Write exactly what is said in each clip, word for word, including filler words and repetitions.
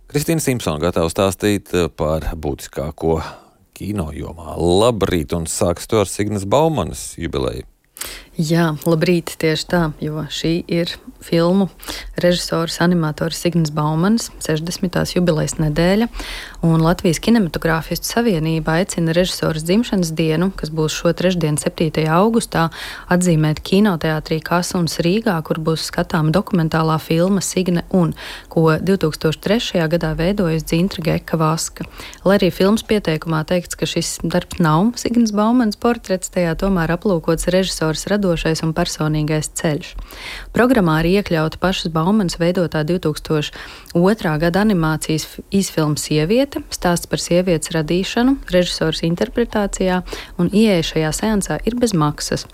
Kristīna Simpsona gatava stāstīt par būtiskāko kino jomā. Labrīt, un sāks to ar Signas Baumanas jubileju. Jā, labrīt, tieši tā, jo šī ir filmu režisors, animators Signas Baumanas sešdesmitās jubilejas nedēļa, un Latvijas kinematogrāfistu savienība aicina režisoras dzimšanas dienu, kas būs šo trešdienu septītajā augustā, atzīmēt kinoteātrī Kasuns Rīgā, kur būs skatāma dokumentālā filma Signe un, ko divtūkstoš trešajā gadā veidojas Dzintra Geka Vaska. Lai arī filmas pieteikumā teikts, ka šis darbs nav Signas Baumanas portrets, tajā tomēr aplūkots režisors radošais un personīgais ceļš. Programmā arī iekļauta pašas Baumanas veidotā divtūkstoš otrā gada animācijas īsfilma Sieviete, stāsts par sievietes radīšanu, režisors interpretācijā, un ieeja šajā seansā ir bez maksas.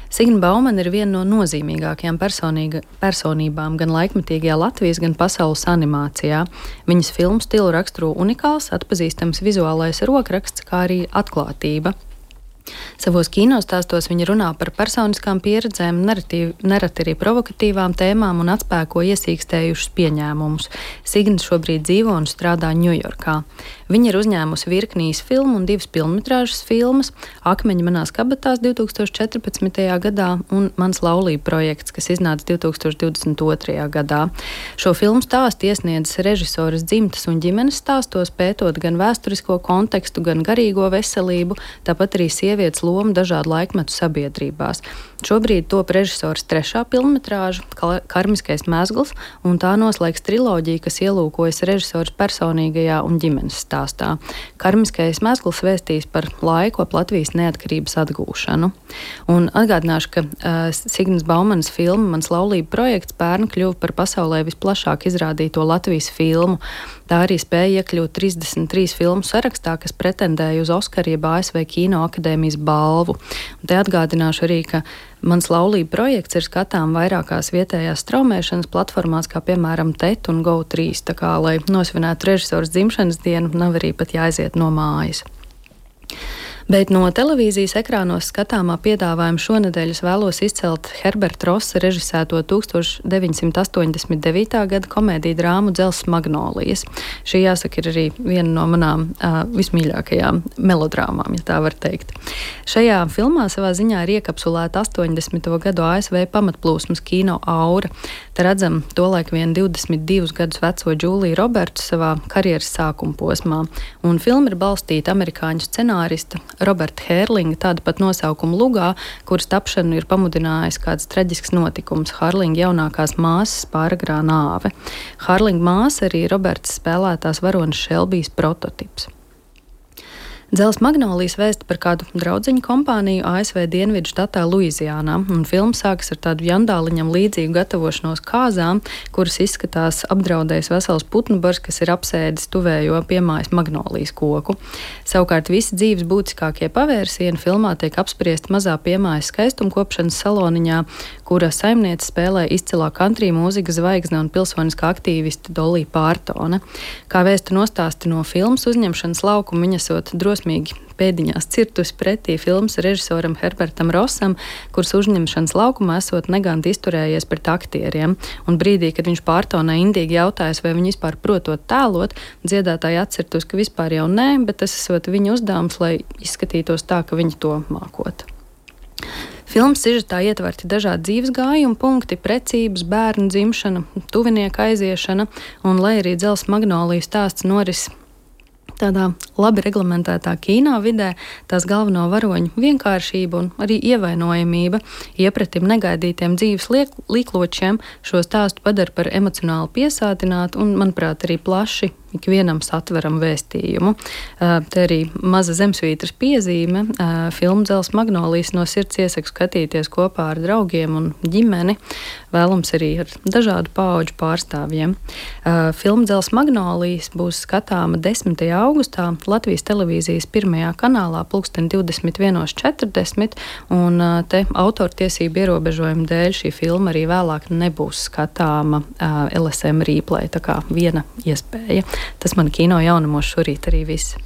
Signa Baumana ir viena no nozīmīgākajām personībām gan laikmetīgajā Latvijas, gan pasaules animācijā. Viņas filmu stilu raksturo unikāls, atpazīstams vizuālais rokraksts, kā arī atklātība. Savos kinostāstos viņa runā par personiskām pieredzēm, nereti arī provokatīvām tēmām un atspēko iesīkstējušus pieņēmumus. Signa šobrīd dzīvo un strādā Ņujorkā. Viņa ir uzņēmusi virkni īsfilmu un divas pilnmetrāžas filmas – Akmeņi manās kabatās divtūkstoš četrpadsmitajā gadā un Mans laulība projekts, kas iznāca divtūkstoš divdesmit otrajā gadā. Šo filmu stāstu iesniedzis režisoras dzimtas un ģimenes stāstos, pētot gan vēsturisko kontekstu, gan garīgo veselību, tāpat arī sievietes lomu dažādu laikmetu sabiedrībās. Šobrīd top režisors trešā pilnmetrāža Karmiskais mezgls, un tā noslēgs triloģiju, kas ielūkojas režisors personīgajā un ģimenes stāstā. Karmiskais mezgls vēstīs par laiku ap Latvijas neatkarības atgūšanu. Un atgādināšu, ka uh, Signas Baumanas filma Mans laulība projekts pērn kļuva par pasaulē visplašāk izrādīto Latvijas filmu. Tā arī spēja iekļūt trīsdesmit trīs filmu sarakstā, kas pretendēja uz Oskara jeb A S V Kino akadēmijas balvu. Un te atgādināšu arī, ka Mans laulība projekts ir skatām vairākās vietējās straumēšanas platformās, kā piemēram T E T un Go trīs, tā kā, lai nosvinētu režisors dzimšanas dienu, nav arī pat jāaiziet no mājas. Bet no televīzijas ekrānos skatāmā piedāvājuma šonedēļ es vēlos izcelt Herberta Rosa režisēto tūkstoš deviņsimt astoņdesmit devītā gada komēdiju drāmu Dzelzs Magnolijas. Šī, jāsaka, ir arī viena no manām uh, vismīļākajām melodrāmām, ja tā var teikt. Šajā filmā savā ziņā ir iekapsulēta astoņdesmito gadu A S V pamatplūsmas kino aura. Te redzam tolaik vien divdesmit divus gadus veco Džūliju Robertu savā karjeras sākuma posmā. Un filma ir balstīta amerikāņu scenārista Roberta Hērlinga tāda pat nosaukuma lugā, kuras tapšanu ir pamudinājis kāds traģisks notikums – Hārlinga jaunākās māsas pāragrā nāve. Hārlinga māsa arī Roberts spēlētās varonas Šelbijas prototips. Dzelzs Magnolijas vēsta par kādu draudziņu kompāniju A S V Dienvidu štatā Luiziānā, un filma sākas ar tādu jandāliņam līdzīgu gatavošanos kāzām, kuras izskatās apdraudējis vesels putnu bars, kas ir apsēdis tuvējo piemājas magnolijas koku. Savukārt visi dzīves būtiskākie pavērsieni filmā tiek apspriesti mazā piemājas skaistumkopšanas saloniņā, kura saimniece spēlē izcilā country mūzikas zvaigzne un pilsoniskā aktīviste Dolija Pārtone. Kā vēstu nostāsti no filmas uzņemšanas laukuma, viņa esot drosmīgi pēdiņās cirtus pretī filmas režisoram Herbertam Rosam, kurš uzņemšanas laukumā esot neganti izturējies pret aktieriem. Un brīdī, kad viņš Pārtonai indīgi jautājas, vai viņi vispār protot tēlot, dziedātāji atcirtus, ka vispār jau nē, bet tas esot viņa uzdevums, lai izskatītos tā, ka viņi to mākot. Filmas sižetā ietverti dažādi dzīves gājumi punkti, precības, bērnu dzimšana, tuvinieka aiziešana, un lai arī Dzelzs Magnolijas stāsts noris tādā labi reglamentētā kino vidē, tās galveno varoņu vienkāršība un arī ievainojamība, iepratim negaidītiem dzīves līkločiem šo stāstu padara par emocionāli piesātinātu un, manuprāt, arī plaši ikvienam satveram vēstījumu. Uh, te arī maza zemsvītras piezīme. Uh, filmu Dzelzs Magnolijas no sirds iesaku skatīties kopā ar draugiem un ģimeni, vēlams arī ar dažādu paudžu pārstāvjiem. Uh, filmu Dzelzs Magnolijas būs skatāma desmitajā augustā Latvijas televīzijas pirmajā kanālā pulksten divdesmit vienos četrdesmit, un uh, te autortiesību ierobežojumu dēļ šī filma arī vēlāk nebūs skatāma uh, L S M replay, tā kā viena iespēja. Tas man kino jaunumos šorīt arī viss.